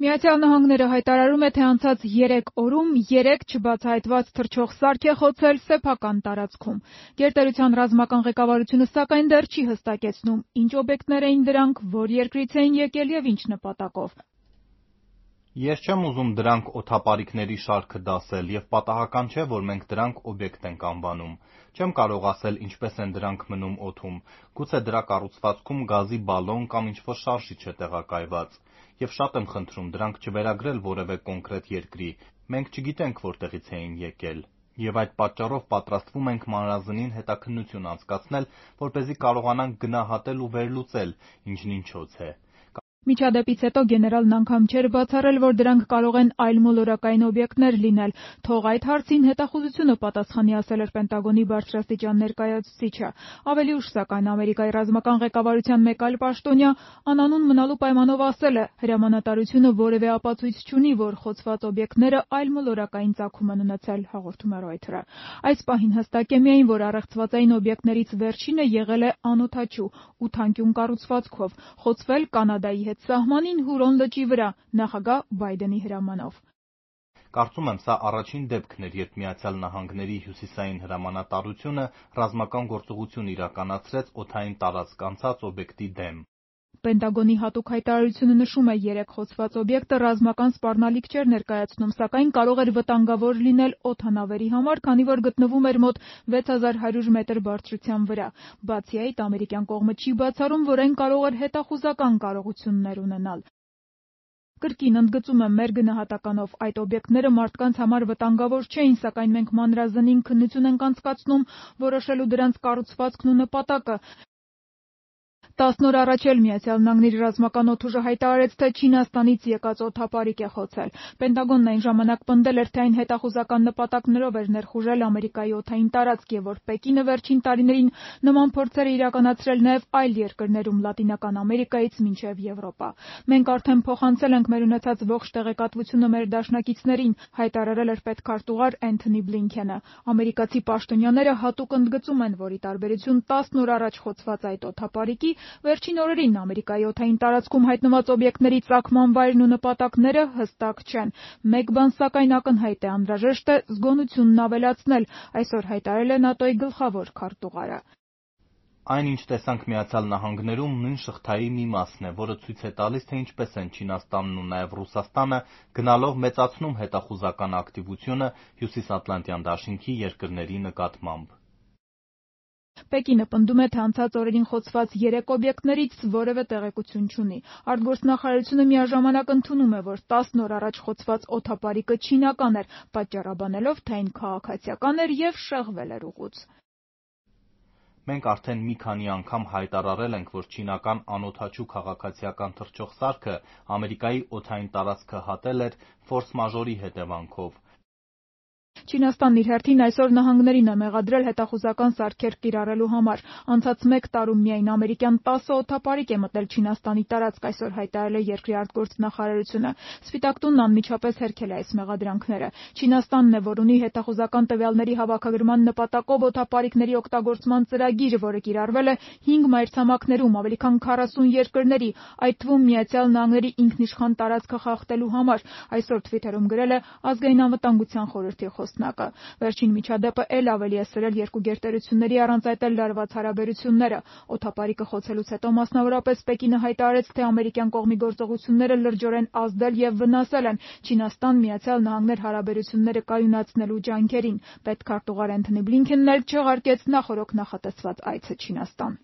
Միացյալ Նահանգները հայտարարում է, թե անցած 3 օրում 3 չբացահայտված թռչող սարք է խոցել սեփական տարածքում։ Գերտերության ռազմական ղեկավարությունը սակայն դեռ չի հստակեցնում, ինչ օբյեկտներ էին դրանք, որ երկրից էին եկել եւ ինչ նպատակով։ Ես չեմ ուզում դրանք օդապարիկների շարքը դասել եւ պատահական չէ, որ մենք դրանք օբյեկտ ենք անվանում։ Չեմ կարող ասել ինչպես են դրանք մնում օդում, գուցե դրա կառուցվածքում գազի բալոն կամ ինչ-որ շարժիչ է տեղակայված։ Եվ շատ եմ խնդրում դրանք չվերագրել որևէ կոնկրետ երկրի, մենք չգիտենք որտեղից էին եկել։ Եվ այդ պատճառով պատրաստվում ենք մանրազնին հետաքննություն անցկացնել, որպեսզի կարողանանք գնահատել ու վերլուծել ինչն ինչոց է։ Միջադեպից հետո գեներալն անգամ չէր բացառել, որ դրանք կարող են այլ մոլորակային օբյեկտներ լինել, թող այդ հարցին հետախուզությունը պատասխանի, ասել էր Պենտագոնի բարձրաստիճան ներկայացուցիչը։ Ավելի ուշ, սակայն, Ամերիկայի ռազմական ղեկավարության մեկ այլ պաշտոնյա անանուն մնալու պայմանով ասել է, հրամանատարությունը որևէ ապացույց չունի, որ խոցված օբյեկտները այլ մոլորակային ծագում են ունեցել, հաղորդում է Reuters-ը։ Այս պահին հստակ է միայն, որ առեղծվածային օբյեկտներից վերջինը եղել է անօդաչու 8 կառուցվածքով, խոցվել Կանադայի հետ սահմանին Հուրոն լճի վրա, նախագահ Բայդենի հրամանով։ Կարծում եմ, սա առաջին դեպքն էր, երբ Միացյալ Նահանգների հյուսիսային հրամանատարությունը ռազմական գործողություն իրականացրեց օդային տարածք անցած օբյեկտի դեմ։ Պենտագոնի հատուկ հայտարարությունը նշում է, 3 խոցված օբյեկտը ռազմական սպառնալիք չէր ներկայացնում, սակայն կարող էր վտանգավոր լինել օդանավերի համար, քանի որ գտնվում էր մոտ 6100 մետր բարձրության վրա։ Բացի այդ, ամերիկյան կողմը չի բացառում, որ այն կարող էր հետախուզական կարողություններ ունենալ։ Կրկին ընդգծում եմ, մեր գնահատականով այդ օբյեկտները մարդկանց համար վտանգավոր չէին, սակայն մենք մանրազնին քննություն ենք անցկացնում, որոշելու դրանց կառուցվածքն ու նպատակը։ 10 օր առաջ էլ Միացյալ Նահանգների ռազմական օդուժը հայտարարեց, թե Չինաստանից եկած օդապարիկ է խոցել։ Պենտագոնն այն ժամանակ պնդել էր, թե այն հետախուզական նպատակներով էր ներխուժել Ամերիկայի օդային տարածք եւ որ Պեկինը վերջին տարիներին նման փորձեր է իրականացրել նաեւ այլ երկրներում Լատինական Ամերիկայից մինչեւ Եվրոպա։ Մենք արդեն փոխանցել ենք մեր ունեցած ողջ տեղեկատվությունը մեր դաշնակիցներին, հայտարարել էր պետքարտուղար Էնթոնի Բլինքենը։ Ամերիկացի պաշտոնյաները հատուկ ընդգծում են, որ ի տարբերություն 10 օր առաջ խոցված այդ օդապարիկի, վերջին օրերին Ամերիկայի օդային տարածքում հայտնված օբյեկտների ծագման վայրն ու նպատակները հստակ չեն։ Մեկ բան սակայն ակնհայտ է, անհրաժեշտ է զգոնությունն ավելացնել, այսօր հայտարարել է ՆԱՏՕ-ի գլխավոր քարտուղարը։ Այն, ինչ տեսանք Միացյալ Նահանգներում, նույն շղթայի մի մասն է, որը ցույց է տալիս, թե ինչպես են Չինաստանն ու նաև Ռուսաստանը գնալով մեծացնում հետախուզական ակտիվությունը Հյուսիսատլանտյան դաշինքի երկրների նկատմամբ։ Պեկինը պնդում է, թե անցած օրերին խոցված 3 օբյեկտներից որևէ տեղեկություն չունի։ Արտգործնախարարությունը միաժամանակ ընդունում է, որ 10 օր առաջ խոցված օդապարիկը չինական էր, պատճառաբանելով, թե այն քաղաքացիական էր եւ շեղվել էր ուղուց։ Մենք արդեն մի քանի անգամ հայտարարել ենք, որ չինական անօդաչու քաղաքացիական թռչող սարքը Ամերիկայի օդային տարածքը հատել էր ֆորս մաժորի հետևանքով։ Չինաստանն իր հերթին այսօր նահանգներին է մեղադրել հետախուզական սարքեր կիրառելու համար։ Անցած 1 տարում միայն ամերիկյան 10 օդապարիկ է մտել Չինաստանի տարածք, այսօր հայտարարել է երկրի արտգործնախարարությունը։ Սպիտակ տունն անմիջապես հերքել է այս մեղադրանքները։ Չինաստանն է, որ ունի հետախուզական տվյալների հավաքագրման նպատակով օդապարիկների օգտագործման ծրագիր, որը կիրառվել է 5 մայրցամաքներում ավելի քան 40 երկրների, այդ թվում Միացյալ Նահանգների ինքնիշխան տարածքը խախտելու համար, այսօր Twitter-ում գրել է Ազգային անվտանգության խորհրդի խոսնակը։ Վերջին միջադեպը էլ ավելի է սրել երկու գերտերությունների առանց այդ էլ լարված հարաբերությունները։ Օդապարիկը խոցելուց հետո մասնավորապես Պեկինը հայտարարեց, թե ամերիկյան կողմի գործողությունները լրջորեն ազդել եւ վնասել են Չինաստան-Միացյալ Նահանգներ հարաբերությունները կայունացնելու ջանքերին։ Պետքարտուղար Էնթոնի Բլինքենն էլ չեղարկեց նախօրոք նախատեսված այցը Չինաստան։